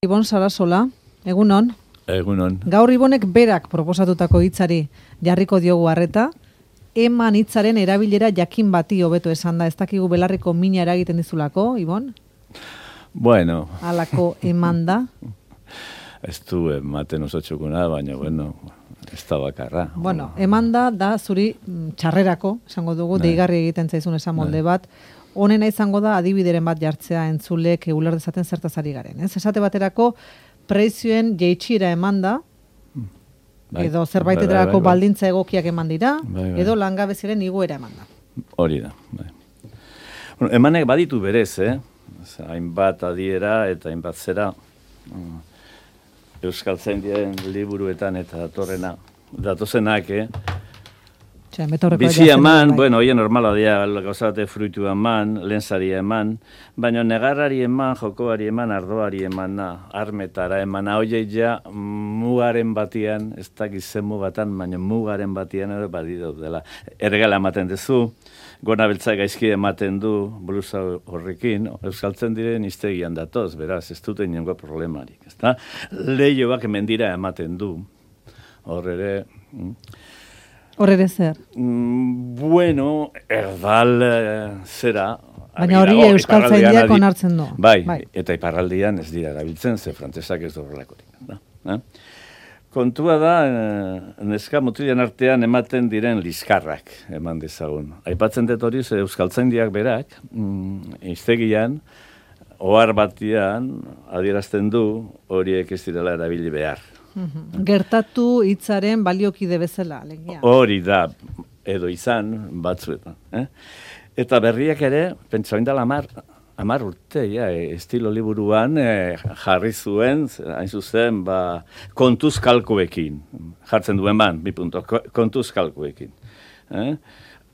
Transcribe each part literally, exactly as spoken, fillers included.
Ibon Sarasola, egunon. Egunon. Gaur Ibonek berak proposatutako hitzari jarriko diogu harreta, eman hitzaren erabilera jakin bati hobeto esan da, ez dakigu belarriko mina eragiten dizulako, Ibon? Bueno. Halako eman da. Ez du ematen oso txukuna, baina, bueno, ez da bakarra. Bueno, eman da, da zuri txarrerako, esango dugu, Bai. deigarri egiten zaizun esan molde bat, honena izango da adibideren bat jartzea entzulek uler dezaten zertaz ari garen. Ez? Esate baterako prezioen jeitxira eman da, Bai. edo zerbaitetarako Bai, bai, bai. baldintza egokiak eman dira, Bai, bai. edo langabeziaren igoera eman da. Hori da. Bai. Bueno, emanek baditu berez, eh? Oza, hainbat adiera eta hainbat zera. Mm. Euskaltzaindien liburuetan eta datorrena. Datozenak, eh? Txea, metorreko Bizi jazen eman, bai. bueno, hoien normala dira, gauzate fruitu eman, lehenzari eman, baina negarrari eman, jokoari eman, ardoari eman, armetara eman, hoiei ja mugaren batian, ez dakiz zen mugatan, baina mugaren batian ere baditu dela. Erregala ematen duzu, gona beltza gaizki ematen du, blusa horrekin, euskaltzen diren iztegian datoz, beraz, ez dute inongo problemarik, ezta? Lehioak mendira ematen du, hor ere... Hor ere zer? Mm, bueno, erdal eh, zera... Baina hori euskaltzaindiak onartzen du. Bai, Bai. eta iparraldian ez dira erabiltzen, ze frantzesak ez du horrelakorik. Da, eh? Kontua da, eh, neska mutilen artean ematen diren liskarrak eman dezagun. Aipatzen dut hori, ze euskaltzaindiak berak, mm, iztegian, ohar batian adierazten du horiek ez direla erabili behar. Gertatu hitzaren baliokide bezala, alegia. Hori da, edo izan, batzuetan. Eh? Eta berriak ere, pentsa indala amar, amar urte, ja, estilo liburuan eh, jarri zuen, hain zuzen, ba, kontuz kalkuekin. Jartzen duen ban, bi punto, kontuz kalkuekin. Eh?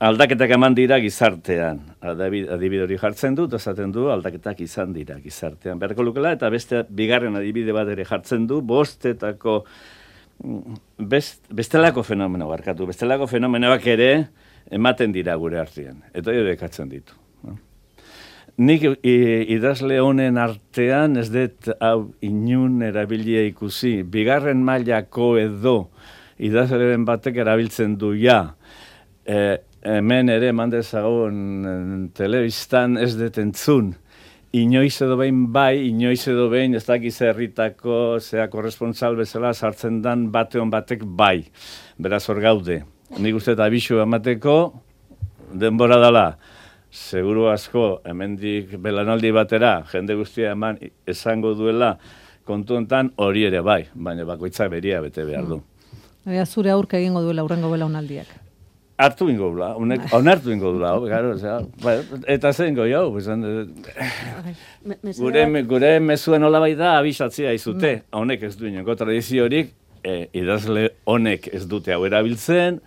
Aldaketak eman dira gizartean. Adibide hori jartzen du, esaten du, aldaketak izan dira gizartean. Beharko lukela, eta beste bigarren adibide bat ere jartzen du, bostetako, best, bestelako fenomeno barkatu, bestelako fenomenoak ere ematen dira gure artean. Eta hori ekatzen ditu. Nik idazle honen artean ez dut hau inun erabilia ikusi. Bigarren mailako edo idazleren batek erabiltzen du ja, eh, hemen ere mandezagon telebistan ez detentzun. Inoiz edo behin bai, inoiz edo behin ez dakiz herritako, zea korresponsal bezala sartzen dan bateon batek bai. Beraz hor gaude. Nik uste eta abisu emateko denbora dala. Seguru asko, hemendik belanaldi batera, jende guztia eman esango duela kontu hontan hori ere bai, baina bakoitzak beria bete behar du. Ea zure aurka egingo duela urrengo belaunaldiak. Hartu ingo dula, onartu ingo dula, garo, eta zen goi hau, gure, gure mezuen hola bai da abisatzea izute, honek ez du inongo tradiziorik, e, idazle honek ez dute hau erabiltzen,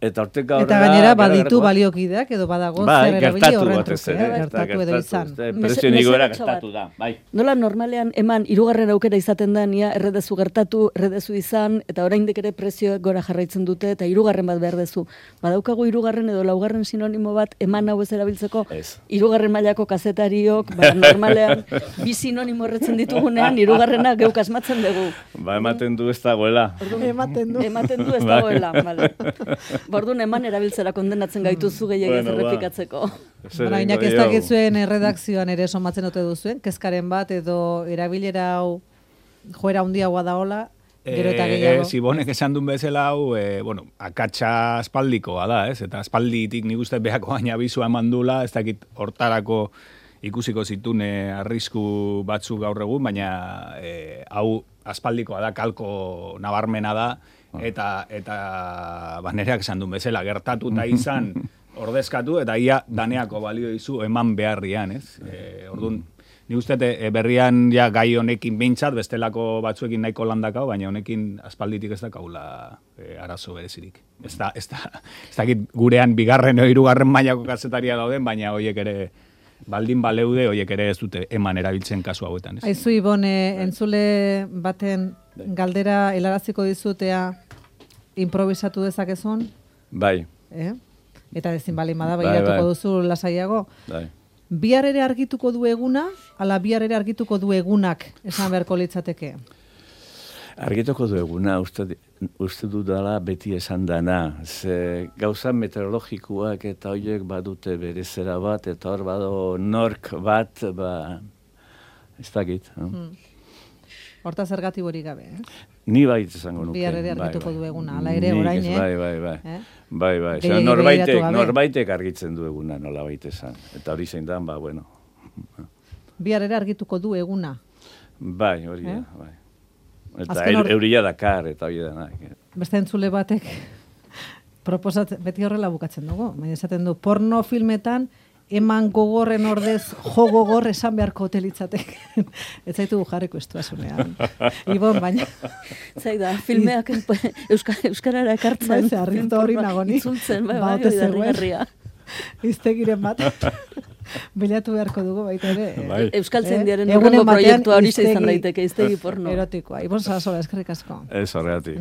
eta horteka horrela... Eta gainera baditu baliokideak edo badago zer erabili horren truke, gertatu edo izan. Prezio nigoera gertatu da, bai. Nola normalean eman hirugarren aukera izaten da, nia erredezu gertatu, erredezu izan, eta oraindik ere prezioak gora jarraitzen dute, eta hirugarren bat behar dezu. Badaukagu hirugarren edo laugarren sinonimo bat eman hau ez erabiltzeko, hirugarren mailako kazetariok, ba, normalean, bi sinonimo erretzen ditugunean, hirugarrena geuk asmatzen dugu. Ba, ematen du ez dagoela. Ematen du. Ematen du ez dagoela, bale. Orduan eman erabiltzera kondenatzen gaituzu gehiagez bueno, errepikatzeko. Baina inak ez dakitzuen erredakzioan ere somatzen dute duzuen, kezkaren bat edo erabilera hau joera handiagoa da hola, gero eta gehiago. Ez, Ibonek esan duen bezala hau, e, bueno, akatsa aspaldikoa da, ez? Eta aspalditik nik uste behako baina bizua eman dula, ez dakit hortarako ikusiko zitune arrisku batzuk gaur egun, baina e, hau aspaldikoa da, kalko nabarmena da, eta eta banereak esan duen bezala, gertatu eta izan ordezkatu, eta ia daneako balio dizu eman beharrian, ez? E, orduan, nik uste e, berrian ja gai honekin behintzat, bestelako batzuekin nahiko landakau, baina honekin aspalditik ez dakaula e, arazo berezirik. Ez da, ez da, ez dakit gurean bigarren o hirugarren mailako kazetaria dauden, baina horiek ere baldin baleude, horiek ere ez dute eman erabiltzen kasu hauetan. Ez? Aizu, Ibon, entzule baten galdera helaraziko dizutea improvisatu dezakezun? Bai. Eh? Eta ezin balin bada, begiratuko duzu lasaiago. Bai. Bihar ere argituko du eguna, ala bihar ere argituko du egunak, esan beharko litzateke? Argituko du eguna, uste, uste dudala beti esan dana. Ze gauza meteorologikoak eta horiek badute bere zera bat, eta hor bado nork bat, ba, ez dakit. No? Hmm. Horta zergatik hori gabe, eh? Ni bait izango nuke. Bihar ere argituko bai, bai. du eguna, ala ere orain, eh? Bai, bai, bai. Eh? Bai, bai. Zer, norbaitek, norbaitek argitzen du eguna, nola baita esan. Eta hori zein dan, ba, bueno. Bihar ere argituko du eguna. Bai, hori da, eh? bai. Eta or... euria dakar, eta hori da. Beste entzule batek, proposatzen, beti horrela bukatzen dugu. Baina esaten du, porno filmetan, eman gogorren ordez, jo gogor esan beharko hotelitzatek. Ez zaitu jarriko estuazunean. Ibon, baina... Zaida, filmeak euska, euskarara ekartzen. Bai, harritu hori nagoni. Itzultzen, bai, bai, bai, herria. Iztegiren bat. Bilatu beharko dugu baita ere. Bai. Euskal Zendiaren eh? urrengo proiektua hori izan daiteke, iztegi porno. Erotikoa. Ibon Sarasola, eskerrik asko. Ez horregatik.